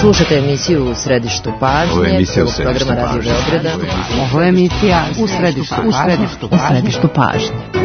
Slušate emisiju U središtu pažnje. Ovo je emisija U središtu pažnje. Ovo je emisija U središtu pažnje.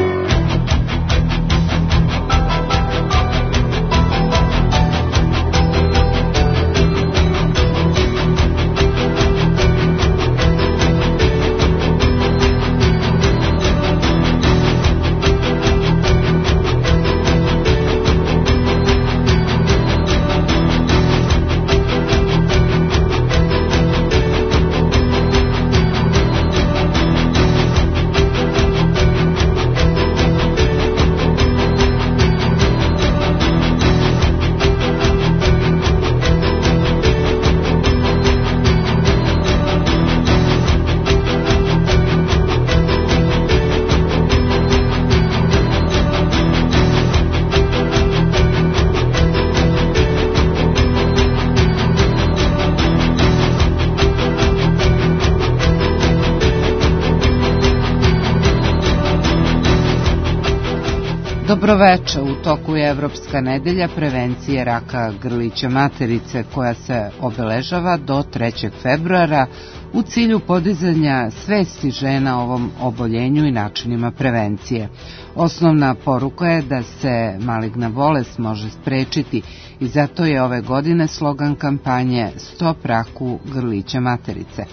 Dobroveče, u toku je Evropska nedelja prevencije raka grlića materice koja se obeležava do 3. februara u cilju podizanja svesti žena o ovom oboljenju i načinima prevencije. Osnovna poruka je da se maligna bolest može sprečiti i zato je ove godine slogan kampanje Stop raku grlića materice.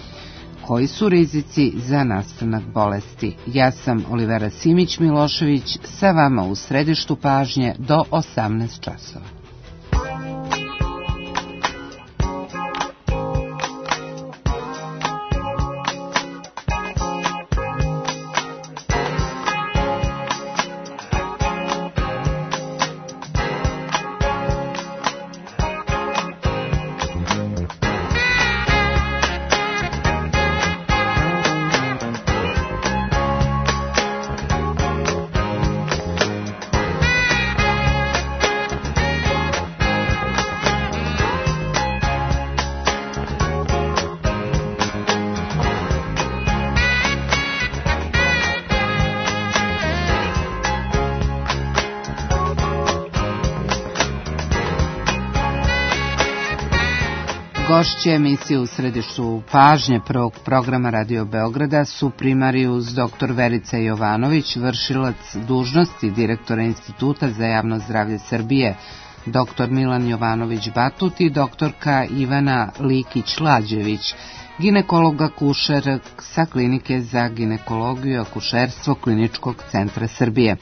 Koji su rizici za nastanak bolesti? Ja sam Olivera Simić-Milošević, sa vama u središtu pažnje do 18 časova. Gošće emisije U središtu pažnje prvog programa Radio Beograda su primarijus dr. Verica Jovanović, vršilac dužnosti direktora Instituta za javno zdravlje Srbije, dr. Milan Jovanović Batut i doktorka Ivana Likić-Lađević, ginekolog akušer sa Klinike za ginekologiju i akušerstvo Kliničkog centra Srbije.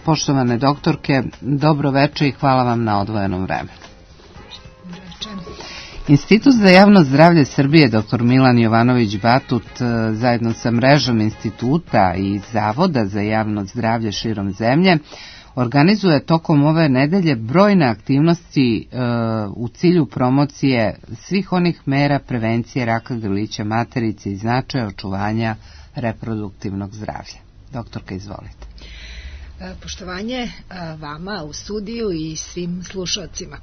Poštovane doktorke, dobro veče i hvala vam na odvojenom vremenu. Institut za javno zdravlje Srbije, dr. Milan Jovanović Batut, zajedno sa mrežom instituta i Zavoda za javno zdravlje širom zemlje, organizuje tokom ove nedelje brojne aktivnosti u cilju promocije svih onih mera prevencije raka grlića materice i značaja očuvanja reproduktivnog zdravlja. Doktorka, izvolite. Poštovanje vama u studiju i svim slušalcima.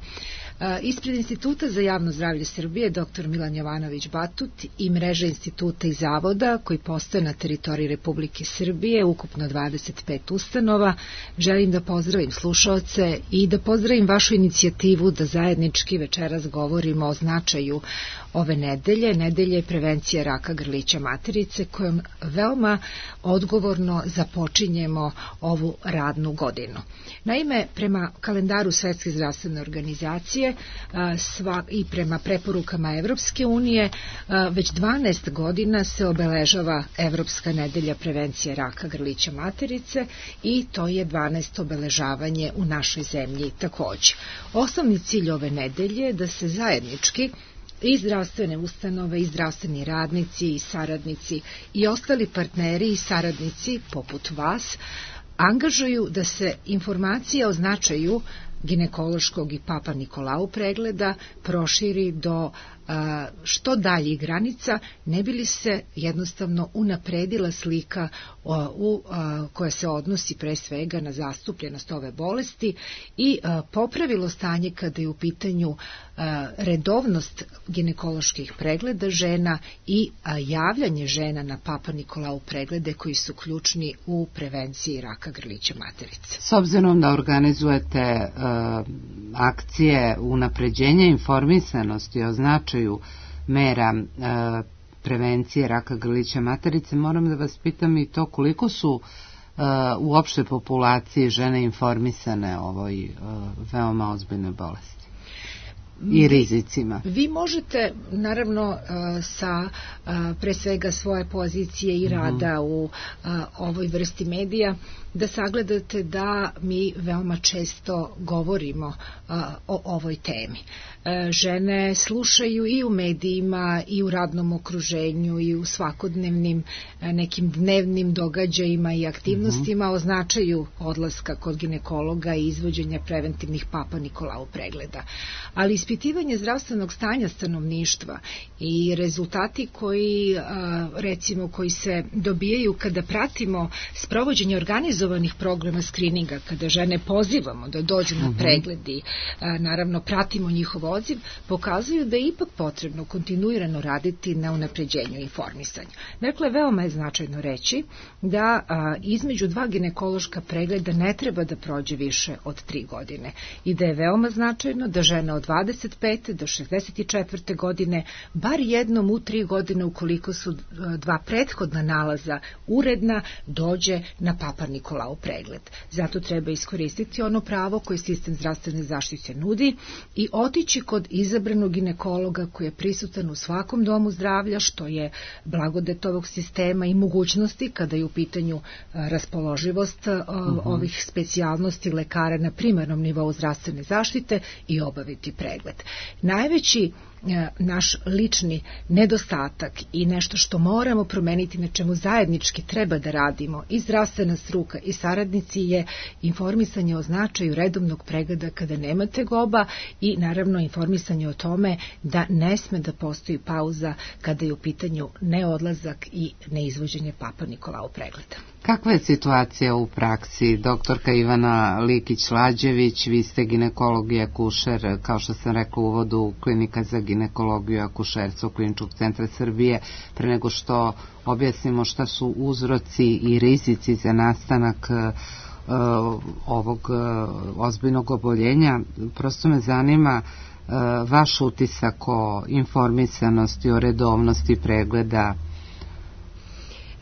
Ispred Instituta za javno zdravlje Srbije dr. Milan Jovanović Batut i mreže instituta i zavoda koji postoje na teritoriji Republike Srbije, ukupno 25 ustanova, želim da pozdravim slušaoce i da pozdravim vašu inicijativu da zajednički večeras govorimo o značaju ove nedelje prevencije raka grlića materice kojom veoma odgovorno započinjemo ovu radnu godinu. Naime, prema kalendaru Svetske zdravstvene organizacije i prema preporukama Evropske unije, već 12 godina se obeležava Evropska nedelja prevencije raka grlića materice i to je 12. obeležavanje u našoj zemlji također. Osnovni cilj ove nedelje je da se zajednički i zdravstvene ustanove, i zdravstveni radnici, i saradnici, i ostali partneri i saradnici poput vas angažuju da se informacija o značaju ginekološkog i Papa Nikolau pregleda proširi do što daljih granica, ne bi li se jednostavno unapredila slika koja se odnosi pre svega na zastupljenost ove bolesti i popravilo stanje kada je u pitanju redovnost ginekoloških pregleda žena i javljanje žena na Papa Nikolau preglede koji su ključni u prevenciji raka grlića materice. S obzirom da organizujete akcije unapređenja informisanosti o značaju mera prevencije raka grlića materice, moram da vas pitam i to koliko su u opštoj populaciji žene informisane o ovoj veoma ozbiljnoj bolesti i rizicima. Vi možete, naravno, sa pre svega svoje pozicije i rada u ovoj vrsti medija, da sagledate da mi veoma često govorimo o ovoj temi. Žene slušaju i u medijima i u radnom okruženju i u svakodnevnim nekim dnevnim događajima i aktivnostima o značaju odlaska kod ginekologa i izvođenja preventivnih Papa Nikolau pregleda. Ali ispitivanje zdravstvenog stanja stanovništva i rezultati koji se dobijaju kada pratimo sprovođenje organizovanih programa skrininga, kada žene pozivamo da dođu na pregled i naravno pratimo njihov odziv, pokazuju da je ipak potrebno kontinuirano raditi na unapređenju informisanja. Dakle, veoma je značajno reći da između 2 ginekološka pregleda ne treba da prođe više od 3 godine i da je veoma značajno da žena od 25. do 64. godine bar jednom u 3 godine, ukoliko su 2 prethodna nalaza uredna, dođe na Papa Nikolau pregled. Zato treba iskoristiti ono pravo koje sistem zdravstvene zaštite nudi i otići kod izabranog ginekologa koji je prisutan u svakom domu zdravlja, što je blagodet ovog sistema i mogućnosti kada je u pitanju raspoloživost ovih specijalnosti lekara na primarnom nivou zdravstvene zaštite i obaviti pregled. Najveći naš lični nedostatak i nešto što moramo promeniti, na čemu zajednički treba da radimo i zdravstvena struka i saradnici, je informisanje o značaju redovnog pregleda kada nema tegoba i naravno informisanje o tome da ne sme da postoji pauza kada je u pitanju neodlazak i neizvođenje Papa Nikolau pregleda. Kakva je situacija u praksi? Doktorka Ivana Likić-Lađević, vi ste ginekolog i akušer, kao što sam rekla u uvodu, klinika za ginekologiju i akušerstvo Kliničkog centra Srbije. Pre nego što objasnimo šta su uzroci i rizici za nastanak ovog ozbiljnog oboljenja, prosto me zanima vaš utisak o informisanosti, o redovnosti pregleda,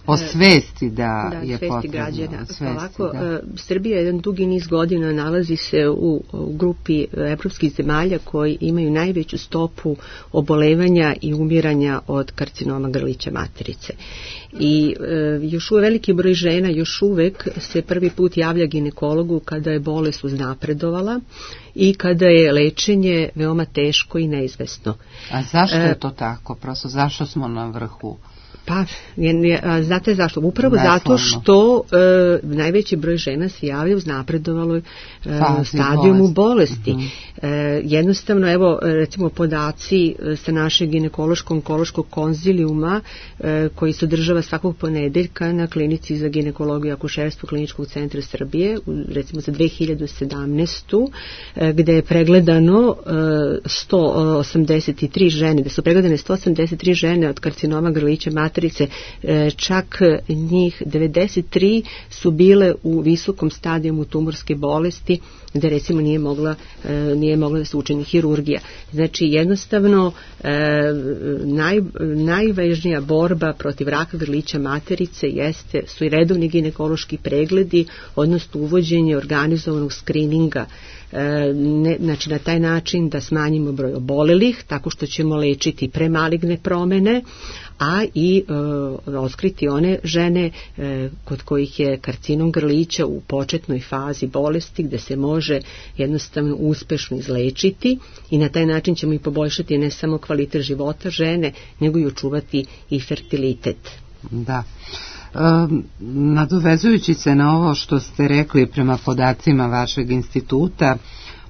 o svesti da je potrebno. Građana. Ovako, Srbija jedan dugi niz godina nalazi se u grupi evropskih zemalja koji imaju najveću stopu obolevanja i umiranja od karcinoma grlića materice. I još uvek veliki broj žena još uvek se prvi put javlja ginekologu kada je bolest uznapredovala i kada je lečenje veoma teško i neizvesno. A zašto je to tako? Prosto zašto smo na vrhu? Pa, znate zašto? Upravo zato što najveći broj žena se javlja u uznapredovaloj stadijumu bolesti. Jednostavno, evo, recimo podaci sa našeg ginekološko-onkološkog konzilijuma koji se održava svakog ponedeljka na klinici za ginekologiju i akušerstvo Kliničkog centra Srbije, recimo za 2017. Gde je pregledano 183 žene, da su pregledane 183 žene od karcinoma grlića materice, čak njih 93 su bile u visokom stadijumu tumorske bolesti, gde recimo nije mogla da se učini hirurgija. Znači jednostavno najvažnija borba protiv raka grlića materice su i redovni ginekološki pregledi, odnosno uvođenje organizovanog skrininga. Znači na taj način da smanjimo broj obolelih, tako što ćemo lečiti premaligne promene, a i otkriti one žene kod kojih je karcinom grlića u početnoj fazi bolesti, gde se može jednostavno uspešno izlečiti, i na taj način ćemo i poboljšati ne samo kvalitet života žene, nego i očuvati i fertilitet. Da. Nadovezujući se na ovo što ste rekli, prema podacima vašeg instituta,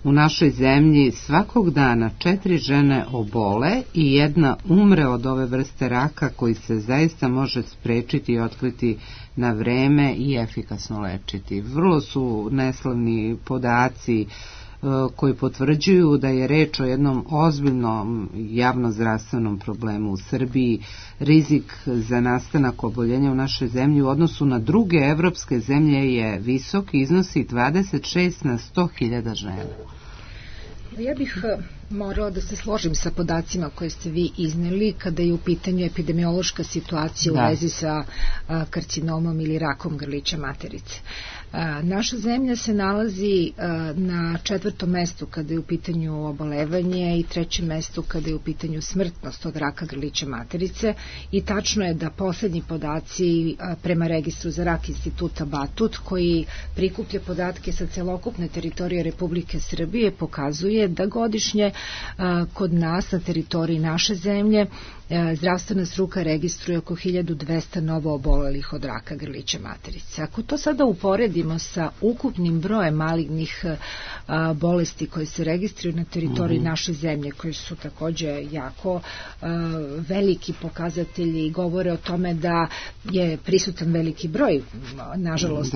u našoj zemlji svakog dana 4 žene obole i 1 umre od ove vrste raka, koji se zaista može sprečiti i otkriti na vreme i efikasno lečiti. Vrlo su neslavni podaci koji potvrđuju da je reč o jednom ozbiljnom javnozdravstvenom problemu u Srbiji. Rizik za nastanak oboljenja u našoj zemlji u odnosu na druge evropske zemlje je visok i iznosi 26 na 100.000 žena. Ja bih morala da se složim sa podacima koje ste vi izneli kada je u pitanju epidemiološka situacija u vezi sa karcinomom ili rakom grlića materice. Naša zemlja se nalazi na 4. mestu kada je u pitanju obolevanje i 3. mestu kada je u pitanju smrtnost od raka grlića materice i tačno je da poslednji podaci prema registru za rak instituta Batut koji prikuplja podatke sa celokupne teritorije Republike Srbije pokazuje da godišnje kod nas na teritoriji naše zemlje zdravstvena struka registruje oko 1200 novo obolelih od raka grlića materice. Ako to sada uporedimo sa ukupnim brojem malignih bolesti koje se registruju na teritoriji naše zemlje, koji su takođe jako veliki pokazatelji i govore o tome da je prisutan veliki broj, nažalost,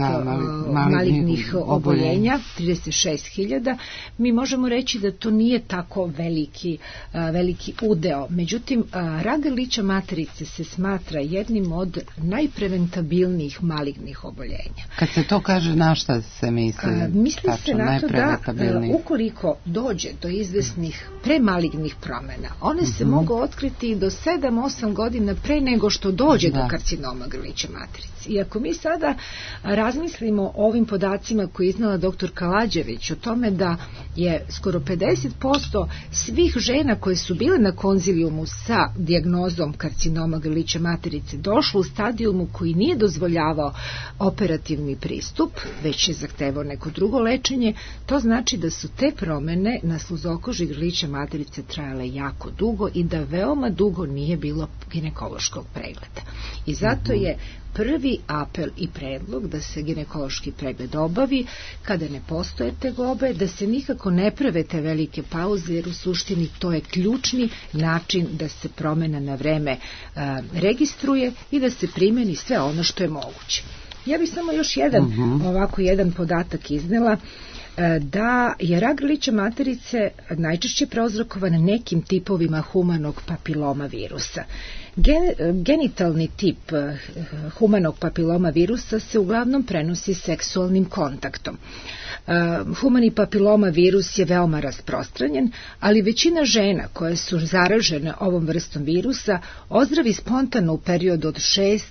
malignih oboljenja, 36.000, mi možemo reći da to nije tako veliki udeo. Međutim, rak grlića materice se smatra jednim od najpreventabilnijih malignih oboljenja. Kad se to kaže, na šta se misli? Misli se na to da ukoliko dođe do izvesnih premalignih promena, one se mogu otkriti do 7-8 godina pre nego što dođe do karcinoma grlića materice. I ako mi sada razmislimo o ovim podacima koje je iznala dr. Kalađević o tome da je skoro 50% svih žena koje su bile na konzilijumu sa dijagnozom karcinoma grlića materice došlo u stadijumu koji nije dozvoljavao operativni pristup, već je zahtevao neko drugo lečenje, to znači da su te promene na sluzokoži grlića materice trajale jako dugo i da veoma dugo nije bilo ginekološkog pregleda. I zato je prvi apel i predlog da se ginekološki pregled obavi kada ne postoje tegobe, da se nikako ne prave te velike pauze, jer u suštini to je ključni način da se promena na vreme registruje i da se primeni sve ono što je moguće. Ja bih samo još jedan podatak iznela, da je rak grlića materice najčešće prouzrokovan nekim tipovima humanog papiloma virusa. Genitalni tip humanog papiloma virusa se uglavnom prenosi seksualnim kontaktom. Humani papiloma virus je veoma rasprostranjen, ali većina žena koje su zaražene ovom vrstom virusa ozdravi spontano u periodu od 6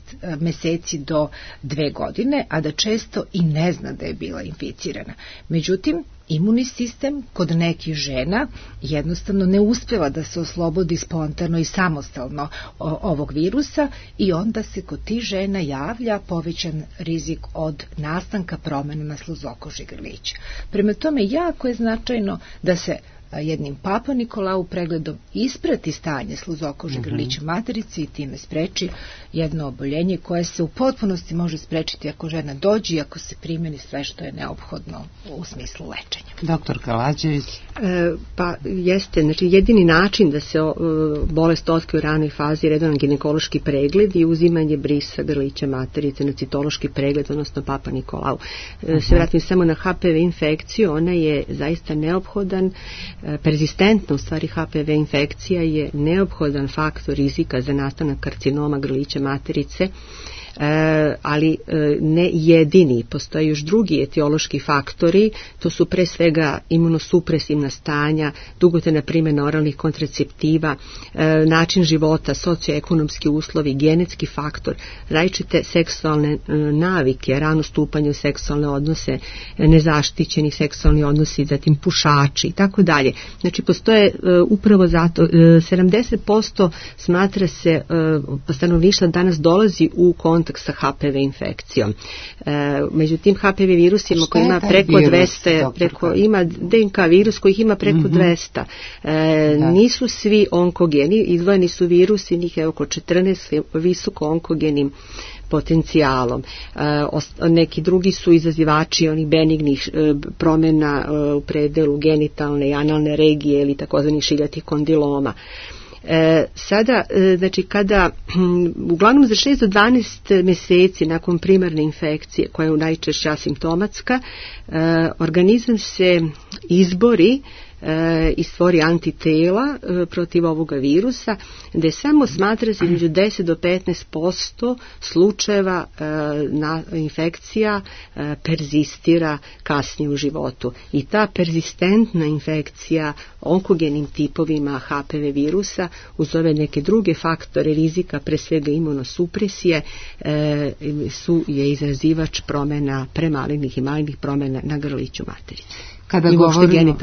meseci do 2 godine, a da često i ne zna da je bila inficirana. Međutim, imunni sistem kod nekih žena jednostavno ne uspeva da se oslobodi spontano i samostalno ovog virusa i onda se kod tih žena javlja povećan rizik od nastanka promena na sluzokoži grlića. Prema tome, jako je značajno da se jednim Papa Nikolau pregledom isprati stanje sluzokože grlića materice i time spreči jedno oboljenje koje se u potpunosti može sprečiti ako žena dođe i ako se primeni sve što je neophodno u smislu lečenja. Doktor Kalađević? Pa jeste, znači jedini način da se bolest otkrije u ranoj fazi je redovan ginekološki pregled i uzimanje brisa grlića materice na citološki pregled, odnosno Papa Nikolau. Se vratim samo na HPV infekciju, ona je zaista neophodan, perzistentna u stvari HPV infekcija je neophodan faktor rizika za nastanak karcinoma grlića materice, ali ne jedini. Postoje još drugi etiološki faktori, to su pre svega imunosupresivna stanja, dugotrajna primjena oralnih kontraceptiva, način života, socioekonomski uslovi, genetski faktor, različite seksualne navike, rano stupanje u seksualne odnose, nezaštićeni seksualni odnosi, zatim pušači i tako dalje. Znači postoje upravo zato 70% smatra se stanovništva danas dolazi u kontakt sa HPV infekcijom. Međutim, HPV virusima koji ima preko 200, ima DNK virus kojih ima preko 200. Nisu svi onkogeni, izdvojeni su virusi, njih je oko 14 visoko onkogenim potencijalom. Neki drugi su izazivači onih benignih promjena u predelu genitalne i analne regije ili takozvanih šiljatih kondiloma. Sada, znači kada uglavnom za 6 do 12 mjeseci nakon primarne infekcije koja je najčešće asimptomatska, organizam se izbori i stvori antitela protiv ovoga virusa, gde samo smatra se između 10 do 15% slučajeva infekcija perzistira kasnije u životu. I ta perzistentna infekcija onkogenim tipovima HPV virusa uz ove neke druge faktore rizika, pre svega imunosupresije, je izazivač promjena premalignih i malignih promjena na grliću materice. Kada govorimo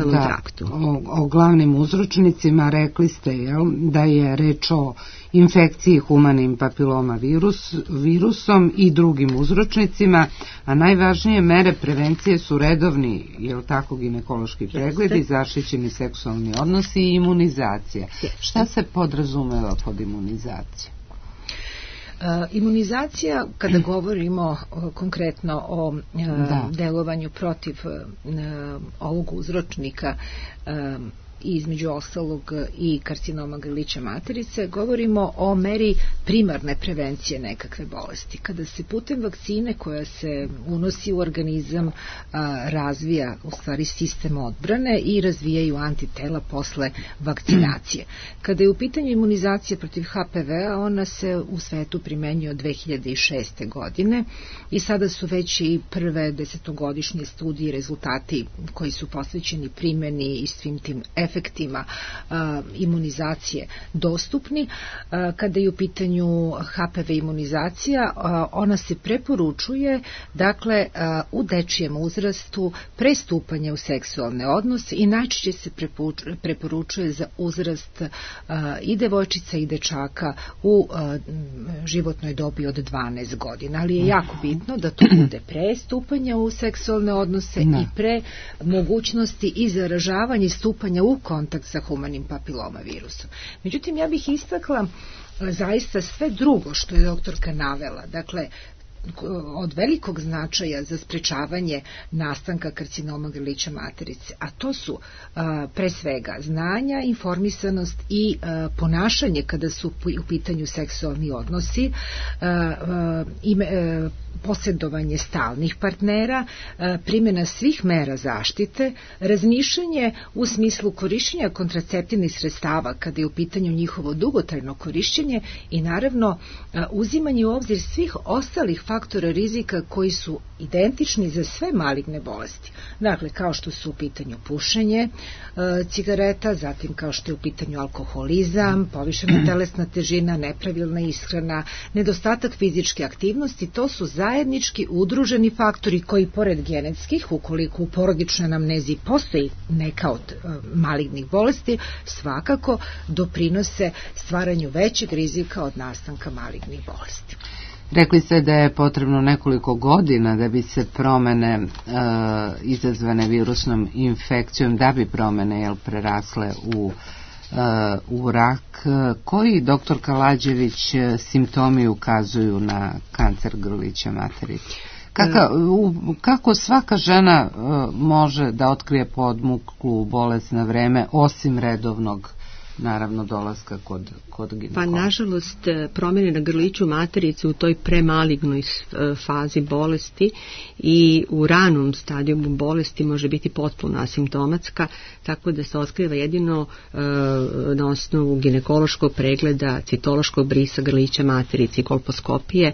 o glavnim uzročnicima, rekli ste da je reč o infekciji humanim papiloma virusom i drugim uzročnicima, a najvažnije mere prevencije su redovni, ginekološki pregledi, zaštićeni seksualni odnosi i imunizacija. Šta se podrazumeva pod imunizacijom? Imunizacija, kada govorimo konkretno o delovanju protiv ovog uzročnika i između ostalog i karcinoma grlića materice, govorimo o meri primarne prevencije nekakve bolesti. Kada se putem vakcine koja se unosi u organizam razvija u stvari sistem odbrane i razvijaju antitela posle vakcinacije. Kada je u pitanju imunizacija protiv HPV-a, ona se u svetu primenjuje od 2006. godine i sada su već i prve desetogodišnje studije i rezultati koji su posvećeni primjeni i svim tim efektima imunizacije dostupni. Kada je u pitanju HPV imunizacija, ona se preporučuje u dečijem uzrastu pre stupanja u seksualne odnose i najčešće se preporučuje za uzrast i devojčica i dečaka u životnoj dobi od 12 godina, ali je jako bitno da to bude pre stupanja u seksualne odnose i pre mogućnosti i zaražavanja i stupanja u kontakt sa humanim papiloma virusom. Međutim, ja bih istakla zaista sve drugo što je doktorka navela, od velikog značaja za sprečavanje nastanka karcinoma grlića materice, a to su pre svega znanja, informisanost i ponašanje kada su u pitanju seksualni odnosi, posjedovanje stalnih partnera, primjena svih mera zaštite, razmišljanje u smislu korišćenja kontraceptivnih sredstava kada je u pitanju njihovo dugotrajno korišćenje i naravno uzimanje u obzir svih ostalih faktora rizika koji su identični za sve maligne bolesti. Dakle, kao što su u pitanju pušenje cigareta, zatim kao što je u pitanju alkoholizam, povišena telesna težina, nepravilna ishrana, nedostatak fizičke aktivnosti, to su zajednički udruženi faktori koji pored genetskih, ukoliko u porodičnoj anamnezi postoji neka od malignih bolesti, svakako doprinose stvaranju većeg rizika od nastanka malignih bolesti. Rekli ste da je potrebno nekoliko godina da bi se promene izazvane virusnom infekcijom, da bi promene prerasle u rak. Koji, doktor Kalađević, simptomi ukazuju na kancer grlića materice? Kako svaka žena može da otkrije podmuklu bolest na vreme, osim redovnog naravno dolaska kod ginekologa? Pa nažalost promjene na grliću materice u toj premalignoj fazi bolesti i u ranom stadijumu bolesti može biti potpuno asimptomatska, tako da se otkriva jedino na osnovu ginekološkog pregleda, citološkog brisa grlića materice i kolposkopije.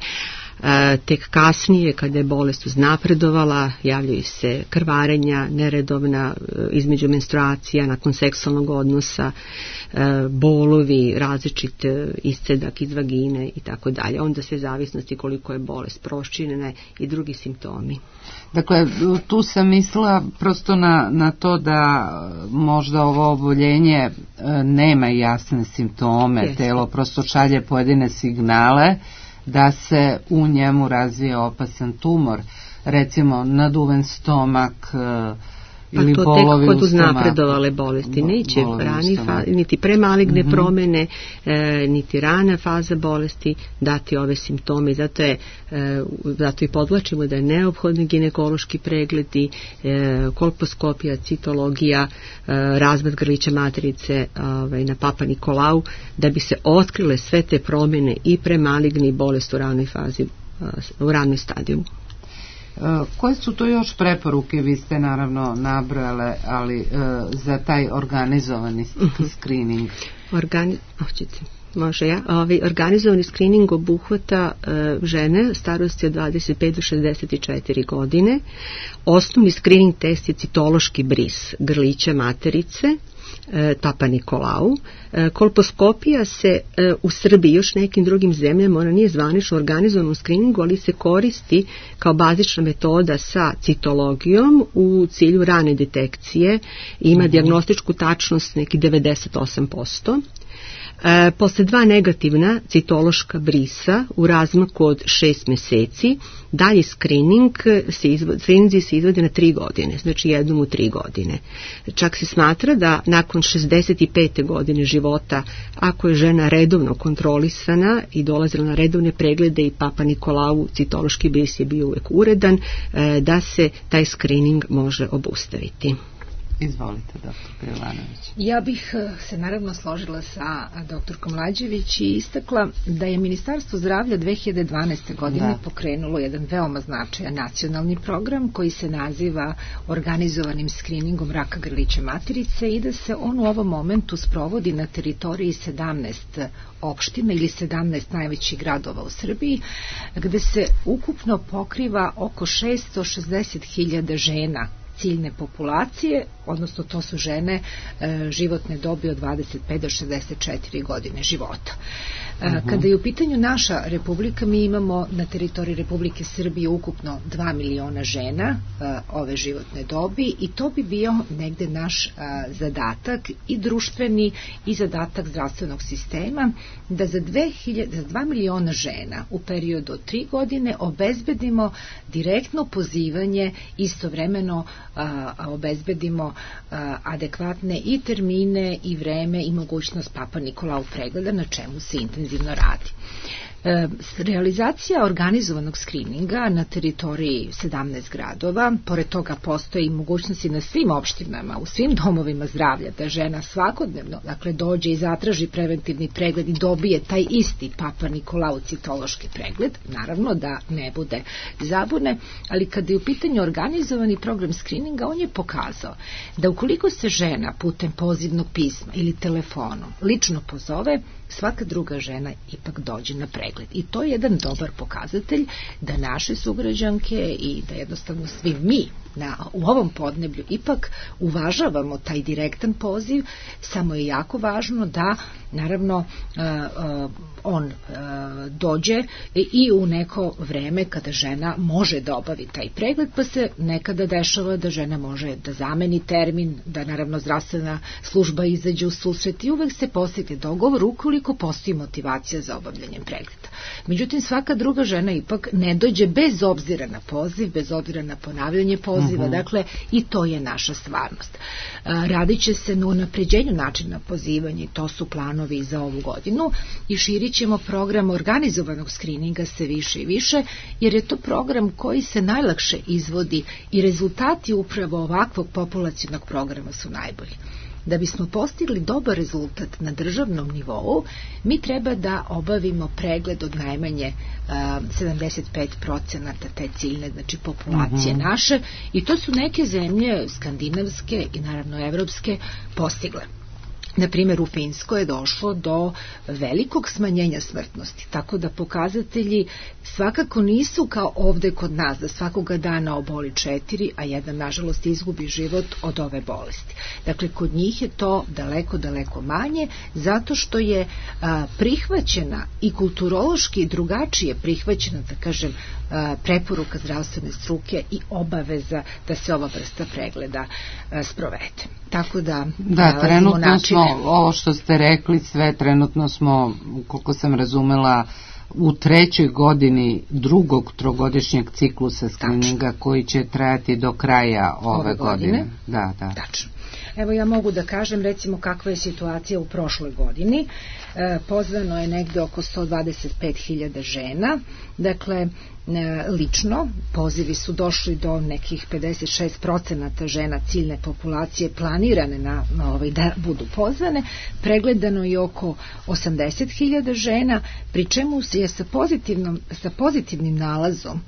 Tek kasnije, kada je bolest uznapredovala, javljaju se krvarenja neredovna između menstruacija, nakon seksualnog odnosa, bolovi, različit iscedak iz vagine i tako dalje. Onda sve zavisnosti koliko je bolest proširena i drugi simptomi. Dakle, tu sam mislila prosto na to da možda ovo oboljenje nema jasne simptome, telo prosto šalje pojedine signale da se u njemu razvije opasan tumor, recimo naduven stomak ili bolovi u stomaku. Pa to tek kod uznapredovale bolesti. Neće niti premaligne promjene, niti rana faza bolesti dati ove simptome. Zato i podvlačimo da je neophodni ginekološki pregledi, kolposkopija, citologija, razvod grlića materice na Papa Nikolau, da bi se otkrile sve te promjene i premaligne i bolest u ranoj fazi, u ranoj stadijumu. Koje su to još preporuke, vi ste naravno nabrojale, ali za taj organizovani screening? Organizovani screening obuhvata žene starosti od 25 do 64 godine. Osnovni screening test je citološki bris grlića materice, Papa Nikolau. Kolposkopija se u Srbiji i još nekim drugim zemljama, ona nije zvanično organizovana u screeningu, ali se koristi kao bazična metoda sa citologijom u cilju rane detekcije. Ima dijagnostičku tačnost neki 98%. Posle 2 negativna citološka brisa u razmaku od 6 meseci, dalje screeninzi se izvode na 3 godine, znači jednom u 3 godine. Čak se smatra da nakon 65. godine života, ako je žena redovno kontrolisana i dolazila na redovne preglede i Papa Nikolau citološki bris je bio uvek uredan, da se taj screening može obustaviti. Izvolite, dr. Jovanović. Ja bih se naravno složila sa doktorkom Lađević i istakla da je Ministarstvo zdravlja 2012. godine pokrenulo jedan veoma značajan nacionalni program koji se naziva organizovanim skriningom raka grlića materice i da se on u ovom momentu sprovodi na teritoriji 17 opština ili 17 najvećih gradova u Srbiji, gde se ukupno pokriva oko 660.000 žena ciljne populacije, odnosno to su žene životne dobi od 25 do 64 godine života. Kada je u pitanju naša republika, mi imamo na teritoriji Republike Srbije ukupno 2 miliona žena ove životne dobi i to bi bio negde naš zadatak i društveni i zadatak zdravstvenog sistema da za 2 miliona žena u periodu od 3 godine obezbedimo direktno pozivanje, istovremeno obezbedimo adekvatne i termine i vreme i mogućnost Papa Nikolau pregleda, na čemu se intenzivno radi. Realizacija organizovanog skrininga na teritoriji 17 gradova, pored toga postoje i mogućnosti na svim opštinama, u svim domovima zdravlja, da žena svakodnevno dođe i zatraži preventivni pregled i dobije taj isti Papa Nikolau citološki pregled, naravno da ne bude zabune, ali kada je u pitanju organizovani program skrininga, on je pokazao da ukoliko se žena putem pozivnog pisma ili telefonom lično pozove, svaka druga žena ipak dođe na pregled. I to je jedan dobar pokazatelj da naše sugrađanke i da jednostavno svi mi u ovom podneblju ipak uvažavamo taj direktan poziv, samo je jako važno da naravno on dođe i u neko vreme kada žena može da obavi taj pregled, pa se nekada dešava da žena može da zameni termin, da naravno zdravstvena služba izađe u susret i uvek se postigne dogovor ukoliko postoji motivacija za obavljanjem pregleda. Međutim, svaka druga žena ipak ne dođe bez obzira na poziv, bez obzira na ponavljanje poziva, dakle i to je naša stvarnost. Radit će se na unapređenju načina pozivanja i to su planovi za ovu godinu i širit ćemo program organizovanog skrininga sve više i više, jer je to program koji se najlakše izvodi i rezultati upravo ovakvog populacionog programa su najbolji. Da bismo postigli dobar rezultat na državnom nivou, mi treba da obavimo pregled od najmanje 75% te ciljne, znači populacije naše, i to su neke zemlje skandinavske i naravno evropske postigle. Na primjer, u Finskoj je došlo do velikog smanjenja smrtnosti, tako da pokazatelji svakako nisu kao ovde kod nas, da svakoga dana oboli 4, a jedan, nažalost, izgubi život od ove bolesti. Dakle, kod njih je to daleko, daleko manje, zato što je prihvaćena i kulturološki drugačije prihvaćena, da kažem, preporuka zdravstvene struke i obaveza da se ova vrsta pregleda sprovede. Tako da trenutno smo, ovo što ste rekli, sve trenutno smo, koliko sam razumela, u 3. godini drugog trogodišnjeg ciklusa skrininga koji će trajati do kraja ove godine. Tačno. Evo ja mogu da kažem recimo kakva je situacija u prošloj godini. Pozvano je negde oko 125.000 žena, dakle lično pozivi su došli do nekih 56% žena ciljne populacije planirane da budu pozvane, pregledano je oko 80.000 žena, pri čemu je sa pozitivnim nalazom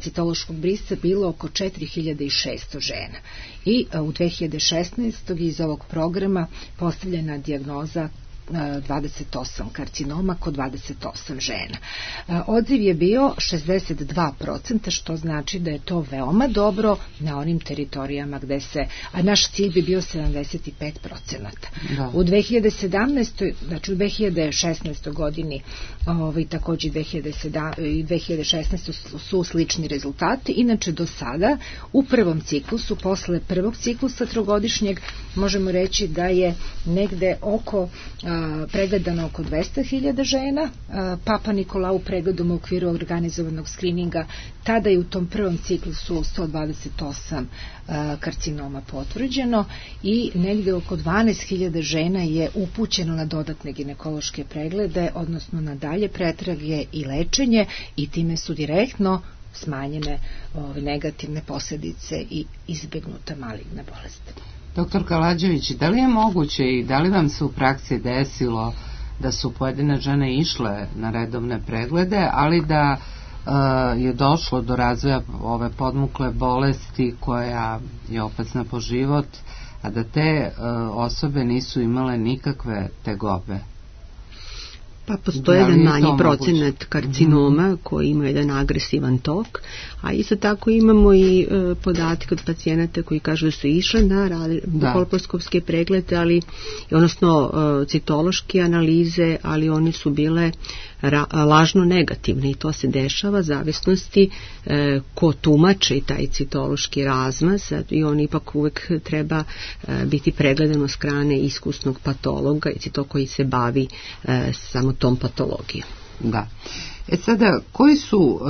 citološkog brisca bilo oko 4.600 žena i u 2016. iz ovog programa postavljena dijagnoza 28 karcinoma kod 28 žena. Odziv je bio 62%, što znači da je to veoma dobro na onim teritorijama gde se, a naš cilj bi bio 75%. Da. U 2017. znači u 2016. godini takođe i 2016. su slični rezultati. Inače do sada u prvom ciklusu, posle prvog ciklusa trogodišnjeg, možemo reći da je negde pregledano oko 200.000 žena, Papa Nikolau pregledom u okviru organizovanog skrininga, tada je u tom prvom ciklusu 128 karcinoma potvrđeno i negde oko 12.000 žena je upućeno na dodatne ginekološke preglede, odnosno na dalje pretrage i lečenje, i time su direktno smanjene negativne posljedice i izbegnuta maligna bolest. Doktor Kalađević, da li je moguće i da li vam se u praksi desilo da su pojedine žene išle na redovne preglede, ali da je došlo do razvoja ove podmukle bolesti koja je opasna po život, a da te osobe nisu imale nikakve tegobe? Pa postoje jedan manji procenat karcinoma koji ima jedan agresivan tok, a isto tako imamo i podatke od pacijenata koji kažu da su išle na kolposkopske preglede, odnosno citološke analize, ali one su bile lažno negativne i to se dešava zavisnosti ko tumači taj citološki razmaz, i on ipak uvek treba biti pregledan od strane iskusnog patologa i to koji se bavi samo tom patologijom. Da. Sada, koji su,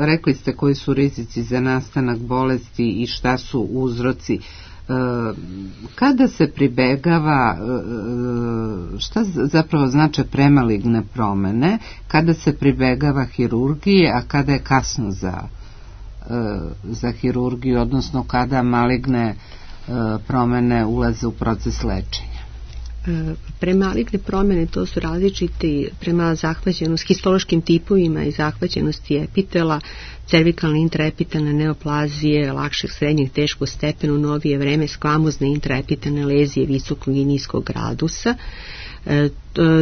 rekli ste, koji su rizici za nastanak bolesti i šta su uzroci? Kada se pribegava, šta zapravo znače premaligne promene, kada se pribegava hirurgiji, a kada je kasno za hirurgiju, odnosno kada maligne promene ulaze u proces lečenja? Premaligne promene, to su različiti prema zahvaćenosti, histološkim tipovima i zahvaćenosti epitela, cervikalne intraepitalne neoplazije, lakšeg, srednjeg, teškog stepena, u novije vreme skvamozne intraepitalne lezije visokog i niskog gradusa,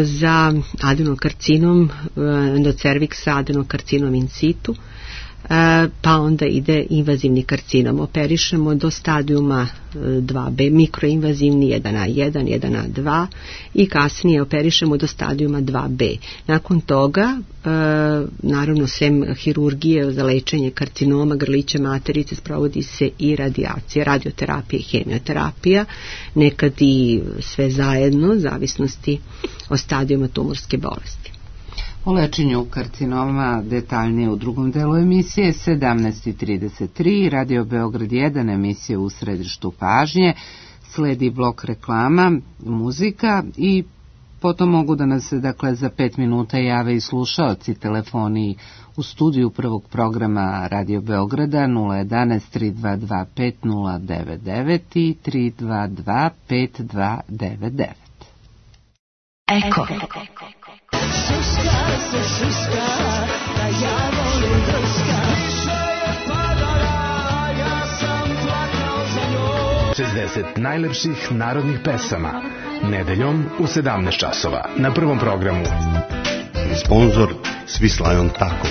za adenokarcinom, endocerviksa, adenokarcinom in situ, pa onda ide invazivni karcinom. Operišemo do stadijuma 2B, mikroinvazivni 1A1, 1A2 i kasnije operišemo do stadijuma 2B. Nakon toga, naravno, sem hirurgije za lečenje karcinoma grlića materice, sprovodi se i radijacija, radioterapija i hemioterapija, nekad i sve zajedno, zavisnosti od stadijuma tumorske bolesti. O lečenju karcinoma detaljnije u drugom delu emisije 17:33, Radio Beograd 1, emisija U središtu pažnje, sledi blok reklama, muzika i potom mogu da nas za 5 minuta jave i slušaoci telefoni u studiju prvog programa Radio Beograda 011 322 5099 i 322 5299. Eko. Šuška se šuška, da ja volim drska. Kiša je padala, ja sam plakao za njom. 60 najlepših narodnih pesama. Nedeljom u 17 časova. Na prvom programu. Sponzor Svislajon Tako.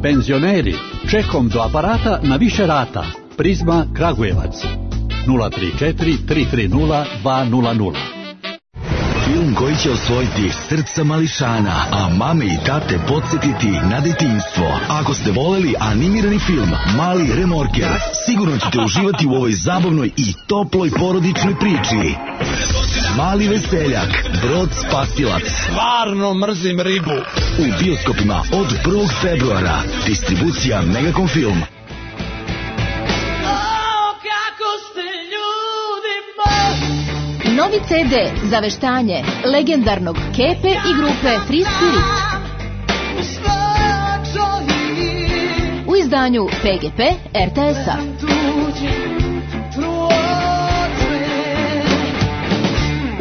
Penzioneri, čekom do aparata na više rata. Prizma Kragujevac. 034 330 200. Film koji će osvojiti srca mališana, a mame i tate podsjetiti na detinjstvo. Ako ste voleli animirani film Mali remorker, sigurno ćete uživati u ovoj zabavnoj i toploj porodičnoj priči. Mali veseljak, Brod spasilac. Stvarno mrzim ribu. U bioskopima od 1. februara. Distribucija Megakom Film. Novi CD za veštanje legendarnog Kepe i grupe Free Spirit. U izdanju PGP RTS-a.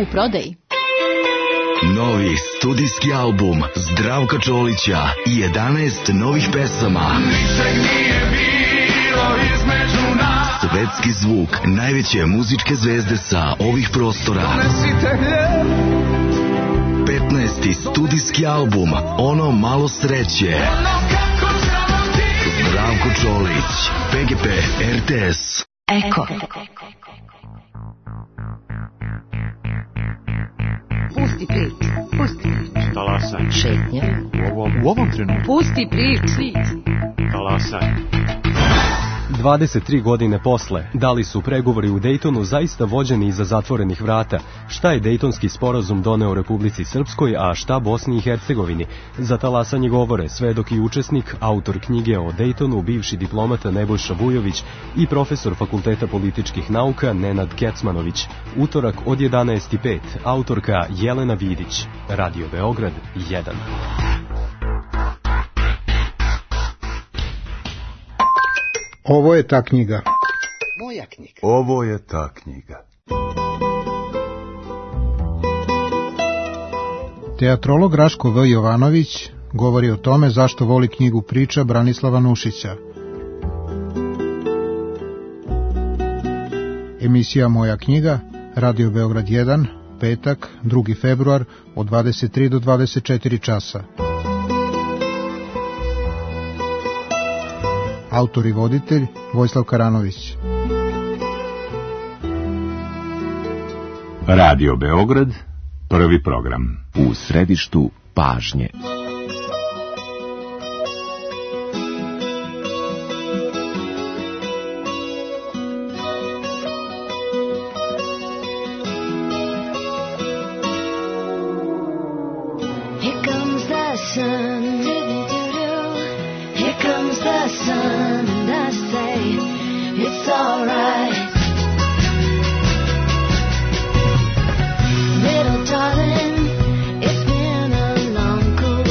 U prodaji. Novi studijski album Zdravka Čolića i 11 novih pesama. Svetski zvuk najveće muzičke zvezde sa ovih prostora. 15. studijski album Ono malo sreće. Zdravko Čolić, PGP RTS. Eko. Pusti priču, pusti priču. Talasaj. Šetnja. U ovom trenutku. Pusti priču. Talasaj. 23 godine posle, da li su pregovori u Dejtonu zaista vođeni iza zatvorenih vrata? Šta je Dejtonski sporazum doneo Republici Srpskoj, a šta Bosni i Hercegovini? Za talasanje govore svedok i učesnik, autor knjige o Dejtonu, bivši diplomata Nebojša Vujović i profesor Fakulteta političkih nauka Nenad Kecmanović. Utorak od 11:05, autorka Jelena Vidić. Radio Beograd 1. Ovo je ta knjiga. Moja knjiga. Ovo je ta knjiga. Teatrolog Raško V. Jovanović govori o tome zašto voli knjigu priča Branislava Nušića. Emisija Moja knjiga, Radio Beograd 1, petak, 2. februar, od 23 do 24 časa. Autor i voditelj Vojislav Karanović. Radio Beograd, prvi program. U središtu pažnje. Here comes the sun, here comes the sun, and I say it's alright. Little darling, it's been a long, cool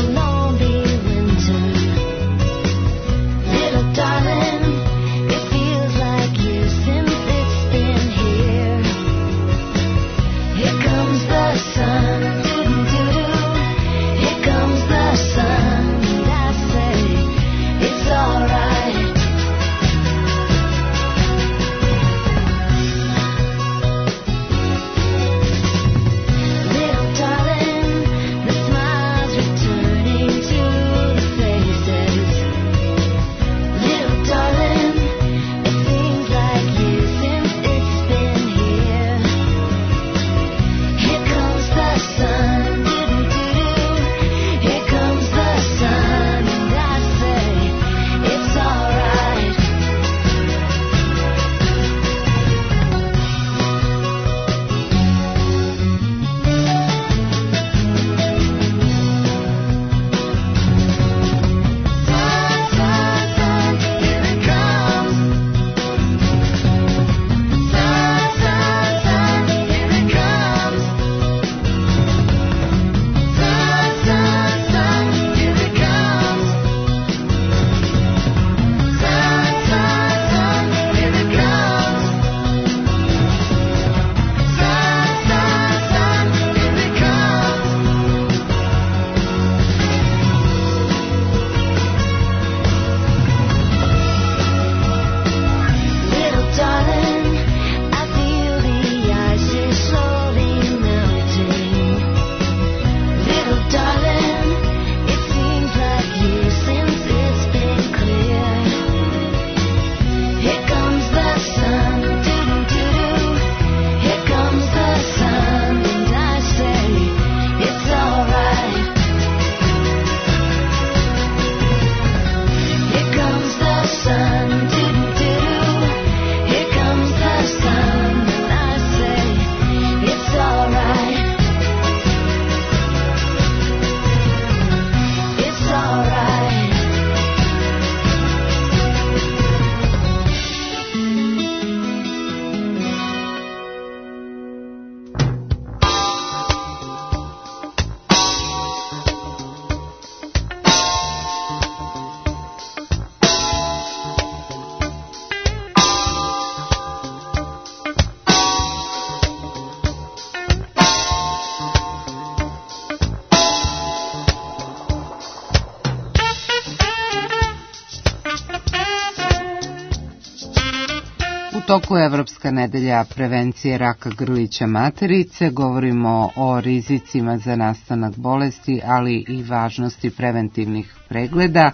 toku Evropska nedelja prevencije raka grlića materice. Govorimo o rizicima za nastanak bolesti, ali i važnosti preventivnih pregleda.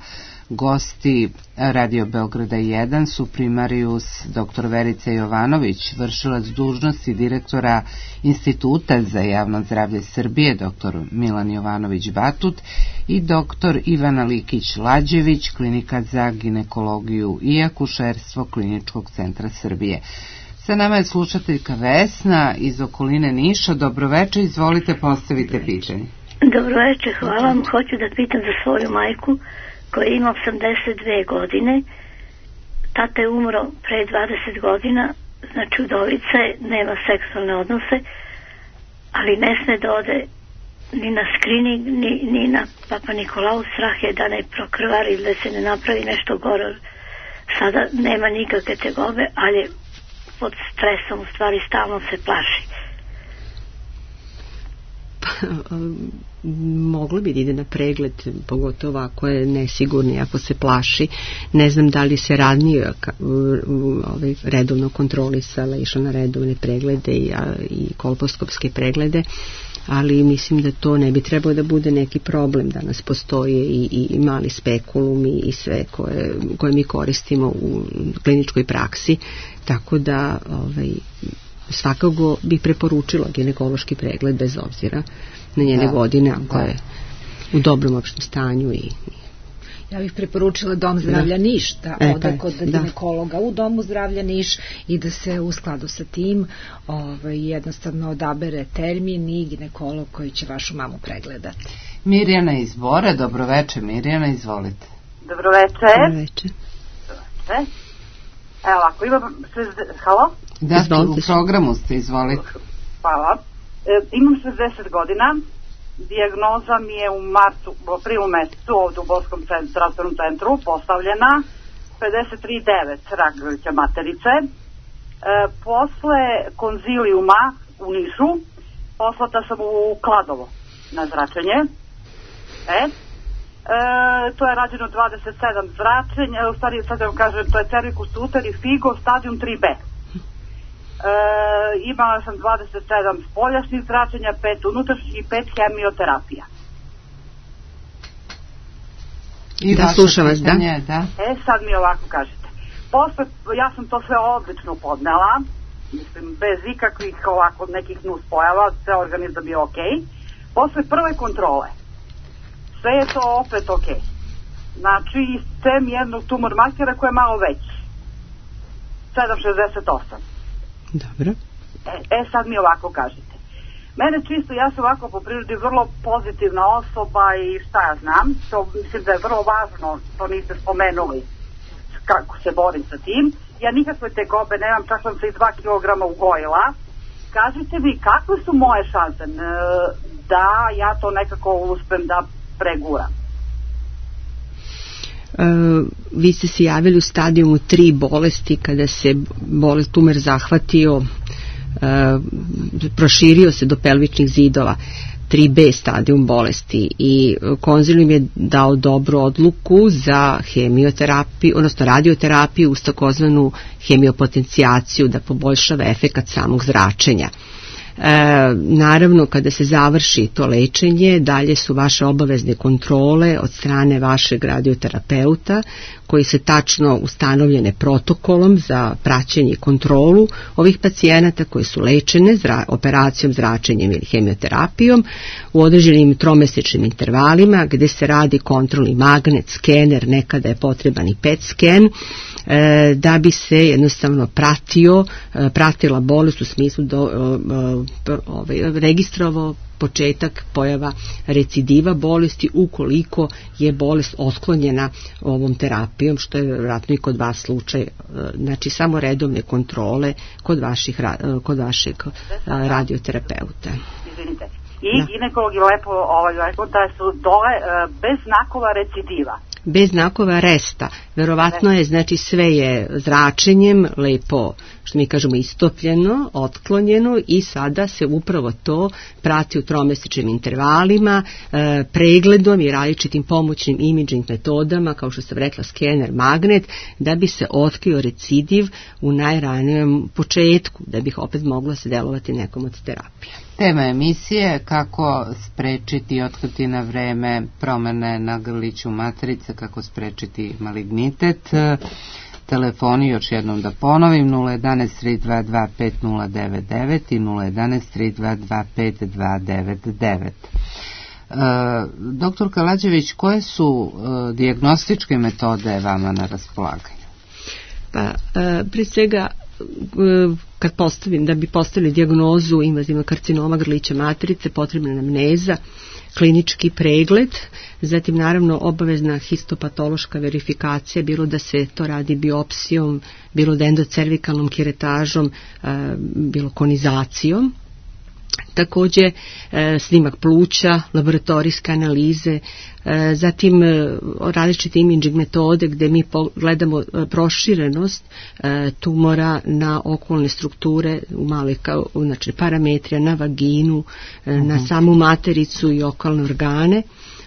Gosti Radio Beograda 1 su primarius dr. Verica Jovanović, vršilac dužnosti direktora Instituta za javno zdravlje Srbije, dr. Milan Jovanović Batut, i dr. Ivana Likić-Lađević, klinika za ginekologiju i akušerstvo Kliničkog centra Srbije. Sa nama je slušateljka Vesna iz okoline Niša. Dobroveče, izvolite, postavite pitanje. Dobroveče, hvala vam. Hoću da pitam za svoju majku koja ima 82 godine. Tata je umro pre 20 godina, znači udovica je, nema seksualne odnose, ali ne sme da ode ni na skrining, ni na Papa Nikolau. Strah je da ne prokrvari ili da se ne napravi nešto gore. Sada nema nikakve tegobe, ali pod stresom, u stvari stalno se plaši. Moglo bi da ide na pregled, pogotovo ako je nesigurni, ako se plaši. Ne znam da li se ranije redovno kontrolisala, išla na redovne preglede i kolposkopske preglede, ali mislim da to ne bi trebalo da bude neki problem. Danas postoje i mali spekulum i sve koje mi koristimo u kliničkoj praksi, tako da svakako bih preporučila ginekološki pregled bez obzira na njene godine, ako je u dobrom opštem stanju. Ja bih preporučila Dom zdravlja Niš, da ode kod ginekologa u Domu zdravlja Niš i da se u skladu sa tim jednostavno odabere termin i ginekolog koji će vašu mamu pregledati. Mirjana iz Bora. Dobroveče, Mirjana, izvolite. Dobroveče. Evo ovako, imam... Halo? Da, u programu ste, izvolite. Hvala. Imam 60 godina, dijagnoza mi je u aprilu mesecu ovdje u Borskom zdravstvenom centru postavljena, 53,9 rak grlića materice. Posle konzilijuma u Nišu poslata sam u Kladovo na zračenje. To je rađeno 27 zračenja, u stvari sad vam kažem, to je cervikus uter i figo stadium 3B. Imala sam 27 spoljašnjih zračenja, 5 unutrašnjih i 5 hemioterapija. Da, slušam vas, da. Sad mi ovako kažete. Posle, ja sam to sve odlično podnela, mislim, bez ikakvih ovako nekih nuspojava, sve organizam je okej. Posle prve kontrole, sve je to opet okej. Znači, sem jednog tumor markera koji je malo veći. 7,68. Dobro. Sad mi ovako kažete. Mene čisto, ja sam ovako po prirodi vrlo pozitivna osoba i šta ja znam, to mislim da je vrlo važno, to niste spomenuli kako se borim sa tim. Ja nikakve tegobe nemam, čak sam se i 2 kilograma ugojila. Kažite mi, kakve su moje šanse da ja to nekako uspem da preguram? Vi ste se javili u stadijumu 3 bolesti, kada se tumor zahvatio, proširio se do pelvičnih zidova. 3B stadijum bolesti i konzilijum je dao dobru odluku za hemioterapiju, odnosno radioterapiju uz takozvanu hemiopotencijaciju, da poboljšava efekat samog zračenja. Naravno, kada se završi to lečenje, dalje su vaše obavezne kontrole od strane vašeg radioterapeuta, koji se tačno ustanovljene protokolom za praćenje i kontrolu ovih pacijenata koji su lečene operacijom, zračenjem ili hemioterapijom u određenim tromesečnim intervalima, gde se radi kontrolni magnet, skener, nekada je potreban i PET sken, da bi se jednostavno pratila bolest u smislu registrovao početak pojava recidiva bolesti ukoliko je bolest otklonjena ovom terapijom, što je vjerojatno i kod vas slučaj. Znači samo redovne kontrole kod vašeg radioterapeuta. Izvinite. I ginekolog je lepo rekao da su dole bez znakova recidiva. Bez znakova resta. Verovatno je, znači sve je zračenjem lepo što mi kažemo istopljeno, otklonjeno i sada se upravo to prati u tromesečnim intervalima, pregledom i različitim pomoćnim imaging metodama, kao što sam rekla skener, magnet, da bi se otkrio recidiv u najranijem početku, da bi opet moglo se delovati nekom od terapija. Tema emisije kako sprečiti i otkriti na vreme promene na grliću materice, kako sprečiti malignitet. Telefoni, još jednom da ponovim, 011 322 5099 i 011 322 5299. Doktor Kalađević, koje su dijagnostičke metode vama na raspolaganju? Pa, prije svega, da bi postavili dijagnozu invazivnog karcinoma grlića materice, potrebna je anamneza, klinički pregled, zatim naravno obavezna histopatološka verifikacija, bilo da se to radi biopsijom, bilo da endocervikalnom kiretažom, bilo konizacijom. Također snimak pluća, laboratorijske analize, zatim različite imaging metode gdje mi gledamo proširenost tumora na okolne strukture, znači parametrija na vaginu, na samu matericu i okolne organe,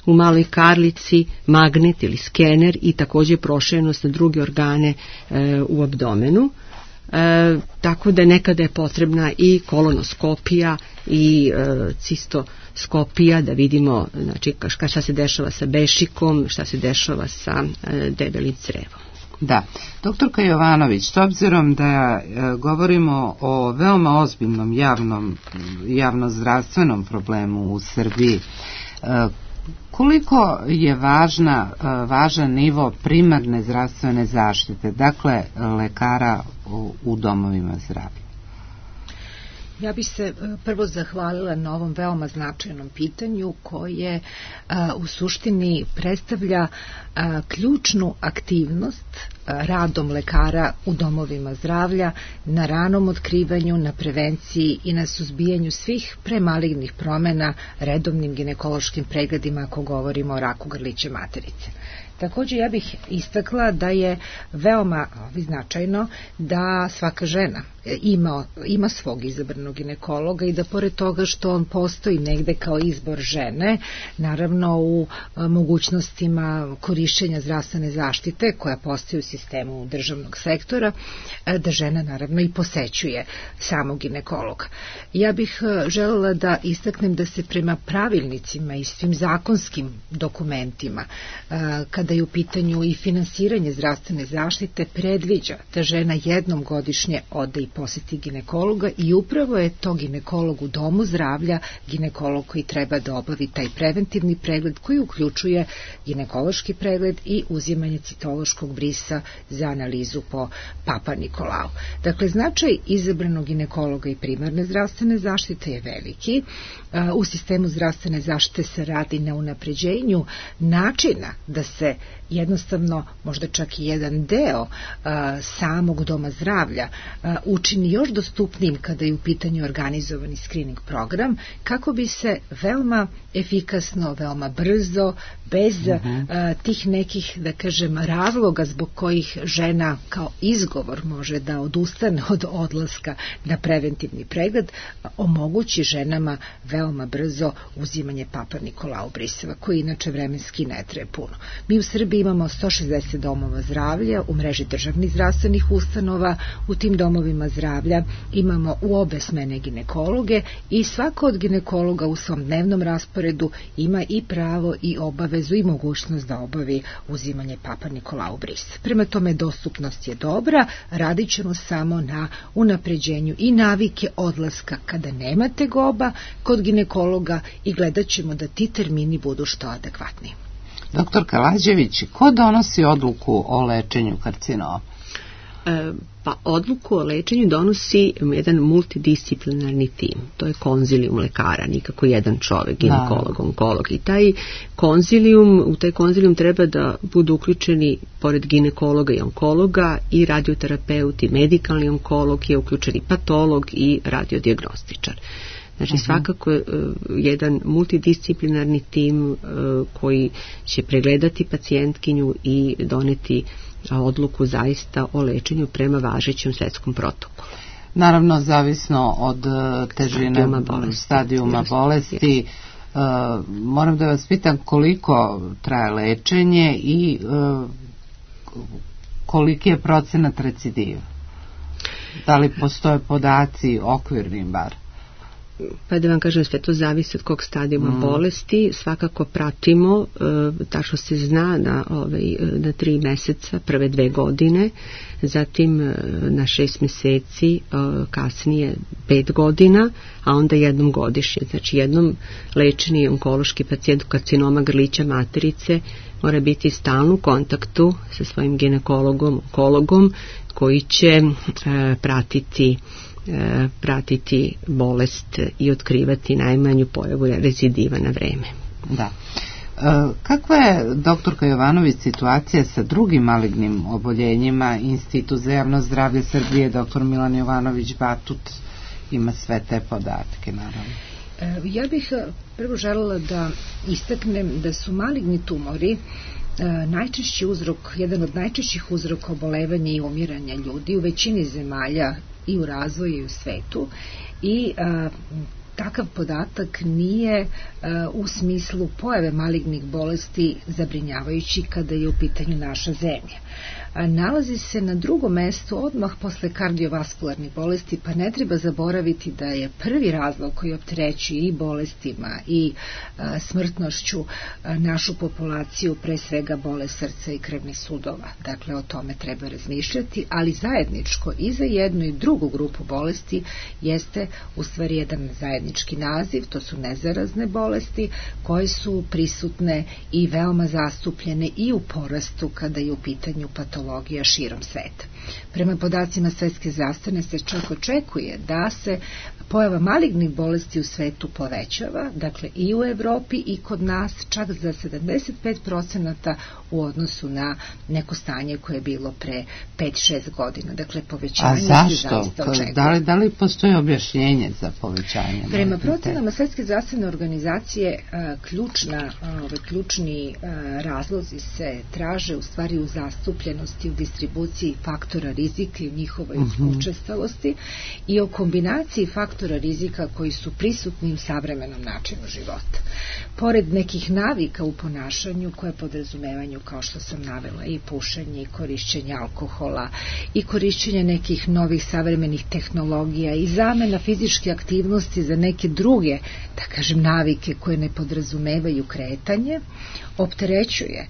u maloj karlici magnet ili skener i također proširenost na druge organe u abdomenu. Tako da nekada je potrebna i kolonoskopija i cistoskopija da vidimo, znači, šta se dešava sa bešikom, šta se dešava sa debelim crevom. Da. Doktorka Jovanović, s obzirom da govorimo o veoma ozbiljnom javnozdravstvenom problemu u Srbiji, koliko je važan nivo primarne zdravstvene zaštite, dakle lekara u domovima zdravlja? Ja bih se prvo zahvalila na ovom veoma značajnom pitanju koje u suštini predstavlja ključnu aktivnost radom lekara u domovima zdravlja na ranom otkrivanju, na prevenciji i na suzbijanju svih premalignih promjena redovnim ginekološkim pregledima ako govorimo o raku grlića materice. Također ja bih istakla da je veoma značajno da svaka žena ima svog izabranog ginekologa i da pored toga što on postoji negde kao izbor žene, naravno u mogućnostima korišćenja zdravstvene zaštite koja postoji u sistemu državnog sektora, da žena naravno i posećuje samog ginekologa. Ja bih željela da istaknem da se prema pravilnicima i svim zakonskim dokumentima, kada je u pitanju i finansiranje zdravstvene zaštite, predviđa da žena jednom godišnje ode i posjeti ginekologa i upravo je to ginekolog u domu zdravlja, ginekolog koji treba da obavi taj preventivni pregled koji uključuje ginekološki pregled i uzimanje citološkog brisa za analizu po Papa Nikolau. Dakle, značaj izabranog ginekologa i primarne zdravstvene zaštite je veliki. U sistemu zdravstvene zaštite se radi na unapređenju načina da se jednostavno možda čak i jedan deo samog doma zdravlja učini još dostupnijim kada je u pitanju organizovani screening program, kako bi se veoma efikasno, veoma brzo, bez tih nekih, da kažem, razloga zbog kojih žena kao izgovor može da odustane od odlaska na preventivni pregled, omogući ženama veoma brzo uzimanje Papa Nikolau briseva, koji inače vremenski ne traje puno. Mi u Srbiji imamo 160 domova zdravlja u mreži državnih zdravstvenih ustanova. U tim domovima zdravlja imamo u obe smene ginekologe i svako od ginekologa u svom dnevnom rasporedu ima i pravo i obavezu i mogućnost da obavi uzimanje Papa Nikolau bris. Prema tome, dostupnost je dobra, radit ćemo samo na unapređenju i navike odlaska kada nema tegoba kod ginekologa i gledat ćemo da ti termini budu što adekvatniji. Doktor Kalađević, ko donosi odluku o lečenju karcinoma? Pa odluku o lečenju donosi jedan multidisciplinarni tim. To je konzilijum lekara, nikako jedan čovjek, ginekolog, onkolog. I u taj konzilijum treba da budu uključeni, pored ginekologa i onkologa, i radioterapeut, i medikalni onkolog, je uključeni patolog i radiodijagnostičar. Znači svakako jedan multidisciplinarni tim koji će pregledati pacijentkinju i doneti odluku zaista o lečenju prema važećem svetskom protokolu. Naravno, zavisno od težine stadijuma bolesti. Moram da vas pitam koliko traje lečenje i koliki je procenat recidiva? Da li postoje podaci okvirni bar? Pa da vam kažem, sve to zavisi od kog stadijuma bolesti. Svakako pratimo, tačno se zna na 3 meseca, prve 2 godine, zatim na 6 meseci, kasnije 5 godina, a onda jednom godišnje. Znači jednom lečeni onkološki pacijent karcinoma grlića materice mora biti stalno u kontaktu sa svojim ginekologom, onkologom, koji će pratiti bolest i otkrivati najmanju pojavu recidiva na vreme. Da. Kakva je, doktorka Jovanović, situacija sa drugim malignim oboljenjima? Institut za javno zdravlje Srbije, doktor Milan Jovanović Batut, ima sve te podatke, naravno. Ja bih prvo želela da istaknem da su maligni tumori najčešći uzrok, jedan od najčešćih uzroka obolevanja i umiranja ljudi u većini zemalja i u razvoju i u svetu, i takav podatak nije u smislu pojave malignih bolesti zabrinjavajući kada je u pitanju naša zemlja. Nalazi se na drugom mestu odmah posle kardiovaskularnih bolesti, pa ne treba zaboraviti da je prvi razlog koji opterećuje i bolestima i smrtnošću našu populaciju pre svega bolest srca i krvnih sudova. Dakle, o tome treba razmišljati, ali zajedničko i za jednu i drugu grupu bolesti jeste u stvari jedan zajednički naziv, to su nezarazne bolesti koje su prisutne i veoma zastupljene i u porastu kada je u pitanju patologija širom sveta. Prema podacima Svetske zdravstvene se čak očekuje da se pojava malignih bolesti u svetu povećava, dakle i u Evropi i kod nas čak za 75% u odnosu na neko stanje koje je bilo pre 5-6 godina. Dakle, povećanje se zaista očekuje. Da li postoji objašnjenje za povećanje? Prema procenama Svetske zdravstvene organizacije ključni razlozi se traže u stvari u zastupljenosti, u distribuciji faktora rizika i u njihovoj učestalosti i o kombinaciji faktora rizika koji su prisutni u savremenom načinu života. Pored nekih navika u ponašanju koje podrazumevanju, kao što sam navela, i pušenje i korišćenje alkohola i korišćenje nekih novih savremenih tehnologija i zamena fizičke aktivnosti za neke druge, da kažem, navike koje ne podrazumevaju kretanje, opterećuje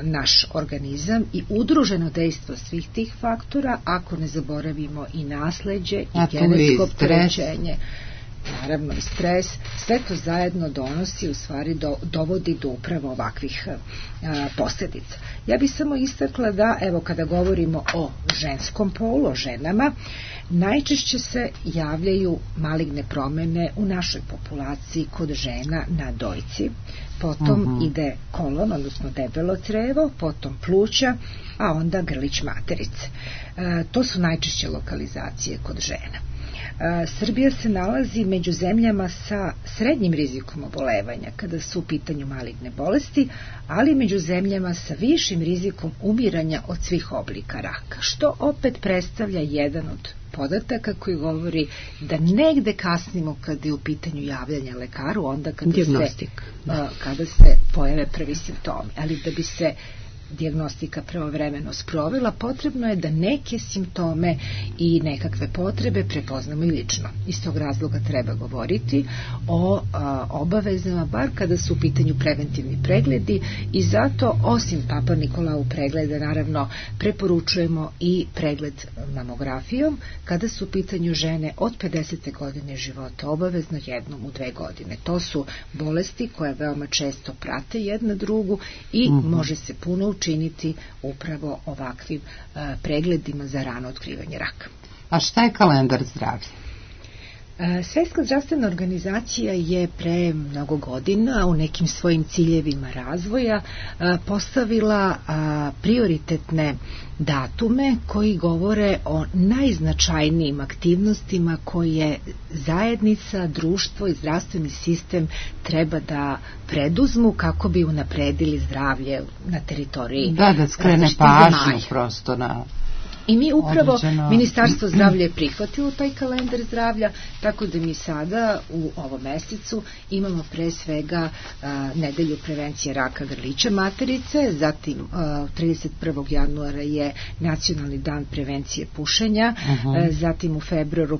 naš organizam i udruženo dejstvo svih tih faktora, ako ne zaboravimo i nasleđe i genetsko opterećenje, naravno i stres, sve to zajedno donosi, u stvari dovodi do upravo ovakvih posljedica. Ja bih samo istakla da, evo, kada govorimo o ženskom polu, o ženama, najčešće se javljaju maligne promene u našoj populaciji kod žena na dojci, potom ide kolon, odnosno debelo crevo, potom pluća, a onda grlić materice. To su najčešće lokalizacije kod žena. Srbija se nalazi među zemljama sa srednjim rizikom obolevanja kada su u pitanju maligne bolesti, ali među zemljama sa višim rizikom umiranja od svih oblika raka, što opet predstavlja jedan od podataka koji govori da negde kasnimo kada je u pitanju javljanja lekaru, onda kada se pojave prvi simptomi. Ali da bi se dijagnostika pravovremeno sprovela, potrebno je da neke simptome i nekakve potrebe prepoznamo i lično. Iz tog razloga treba govoriti o obavezama, bar kada su u pitanju preventivni pregledi, i zato osim Papa Nikolau pregleda, naravno, preporučujemo i pregled mamografijom kada su u pitanju žene od 50. godine života, obavezno jednom u 2 godine. To su bolesti koje veoma često prate jedna drugu i može se puno učiniti upravo ovakvim pregledima za rano otkrivanje raka. A šta je kalendar zdravlja? Svjetska zdravstvena organizacija je pre mnogo godina u nekim svojim ciljevima razvoja postavila prioritetne datume koji govore o najznačajnijim aktivnostima koje zajednica, društvo i zdravstveni sistem treba da preduzmu kako bi unapredili zdravlje na teritoriji. Da skrene pažnju prosto na... I mi upravo, Ministarstvo zdravlja je prihvatilo taj kalendar zdravlja, tako da mi sada u ovom mesecu imamo pre svega nedelju prevencije raka grlića materice, zatim 31. januara je nacionalni dan prevencije pušenja, zatim u februaru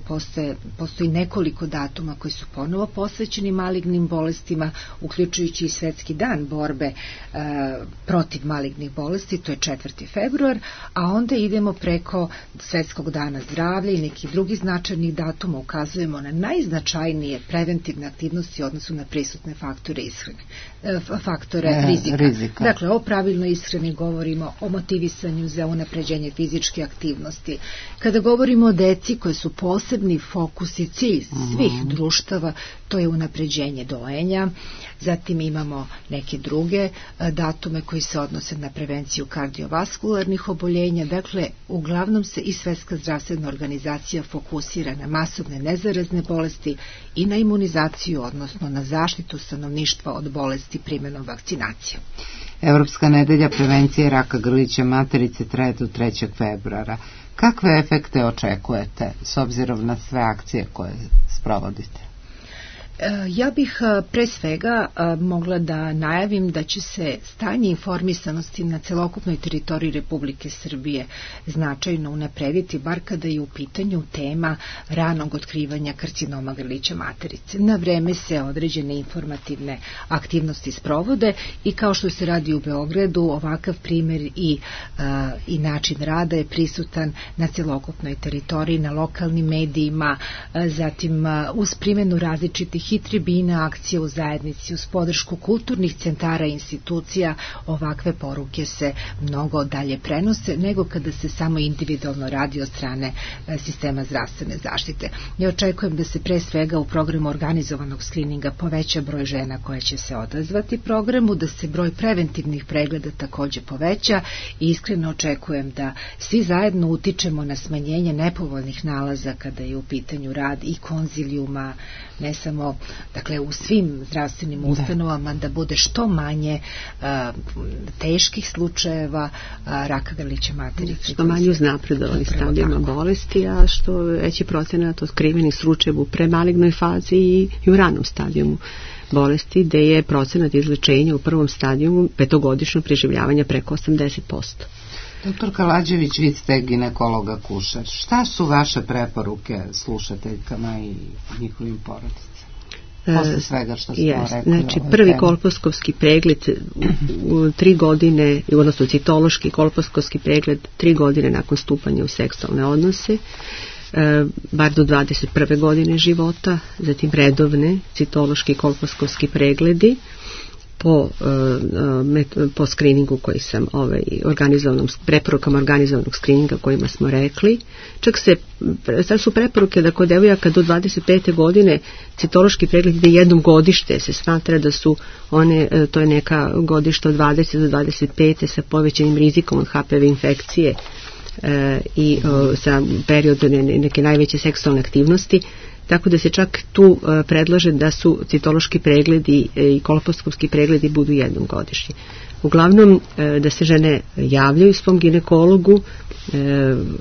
postoji nekoliko datuma koji su ponovo posvećeni malignim bolestima, uključujući i svetski dan borbe protiv malignih bolesti, to je 4. februar, a onda idemo preko Svetskog dana zdravlja i nekih drugih značajnih datuma ukazujemo na najznačajnije preventivne aktivnosti u odnosu na prisutne faktore ishrane, faktore rizika. Dakle, o pravilnoj ishrani govorimo, o motivisanju za unapređenje fizičke aktivnosti. Kada govorimo o deci koje su posebni fokus i cilj svih društava, to je unapređenje dojenja. Zatim imamo neke druge datume koji se odnose na prevenciju kardiovaskularnih oboljenja. Dakle, uglavnom se i Svjetska zdravstvena organizacija fokusira na masovne nezarazne bolesti i na imunizaciju, odnosno na zaštitu stanovništva od bolesti primjenom vakcinacije. Evropska nedelja prevencije raka grlića materice traje do 3. februara. Kakve efekte očekujete s obzirom na sve akcije koje sprovodite? Ja bih pre svega mogla da najavim da će se stanje informisanosti na celokupnoj teritoriji Republike Srbije značajno unaprediti, bar kada je u pitanju tema ranog otkrivanja karcinoma grlića materice. Na vreme se određene informativne aktivnosti sprovode i kao što se radi u Beogradu, ovakav primjer i način rada je prisutan na celokupnoj teritoriji, na lokalnim medijima, zatim uz primjenu različitih i tribina, akcije u zajednici, uz podršku kulturnih centara i institucija, ovakve poruke se mnogo dalje prenose nego kada se samo individualno radi od strane sistema zdravstvene zaštite. Ja očekujem da se pre svega u programu organizovanog skrininga poveća broj žena koje će se odazvati programu, da se broj preventivnih pregleda takođe poveća i iskreno očekujem da svi zajedno utičemo na smanjenje nepovoljnih nalaza kada je u pitanju rad i konzilijuma, ne samo u svim zdravstvenim ustanovama, da bude što manje teških slučajeva raka grlića materice. Što manje uznapredovanih stadijama bolesti, a što veći procenat otkrivenih slučajeva u premalignoj fazi i u ranom stadijumu bolesti, gde je procenat izlečenja u prvom stadijumu 5-godišnjeg preživljavanja preko 80%. Doktor Kalađević, vi ste ginekolog akušer. Šta su vaše preporuke slušateljkama i njihovim porodicama? Posle svega što smo rekli. Znači, prvi kolposkovski pregled u 3 godine, odnosno citološki kolposkovski pregled 3 godine nakon stupanja u seksualne odnose, bar do 21. godine života, zatim redovne citološki kolposkovski pregledi po skriningu koji sam preporukama organizovanog skrininga kojima smo rekli. Sad su preporuke da kod devojaka do 25. godine citološki pregled ide jednom godište, se smatra da su one, to je neka godišta od 20 do 25. sa povećanim rizikom od HPV infekcije i sa periodom neke najveće seksualne aktivnosti, tako da se čak tu predlaže da su citološki pregledi i kolposkovski pregledi budu jednom godišnje. Uglavnom da se žene javljaju svom ginekologu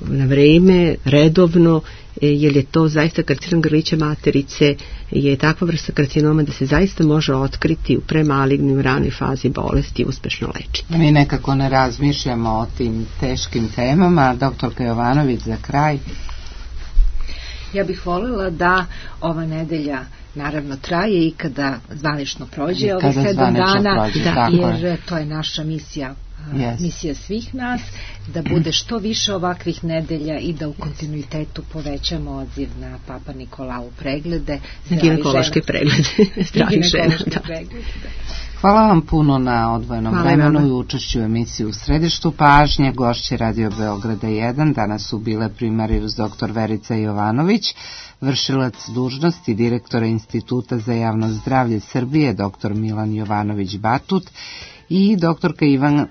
na vreme, redovno, jer je to zaista karcinom grlića materice, je takva vrsta karcinoma da se zaista može otkriti u premalignim ranoj fazi bolesti i uspešno lečiti. Mi nekako ne razmišljamo o tim teškim temama. Doktorka Jovanović, za kraj. Ja bih voljela da ova nedelja naravno traje i kada zvanično prođe ovih 7 dana, jer to je naša misija, misija svih nas, da bude što više ovakvih nedelja i da u kontinuitetu povećamo odziv na Papa Nikolau preglede, ginekološke preglede zdravih žena. Hvala vam puno na odvojenom vremenu i učešću u emisiji U središtu pažnje. Gošće Radio Beograda 1 danas su bile primarius dr. Verica Jovanović, vršilac dužnosti direktora Instituta za javno zdravlje Srbije dr. Milan Jovanović Batut i doktorka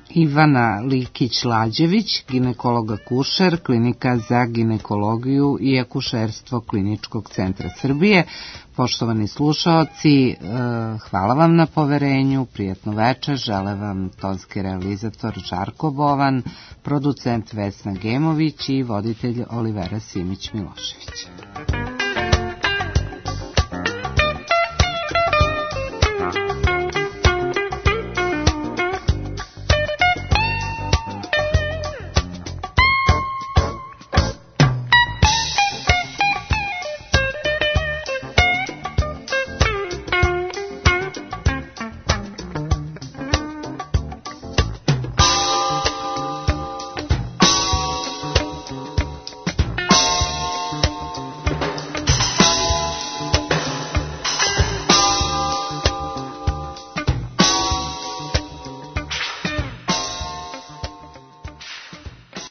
Ivana Likić-Lađević, ginekolog akušer, klinika za ginekologiju i akušerstvo Kliničkog centra Srbije. Poštovani slušaoci, hvala vam na poverenju, prijatno večer, žele vam tonski realizator Žarko Bovan, producent Vesna Gemović i voditelj Olivera Simić-Milošević.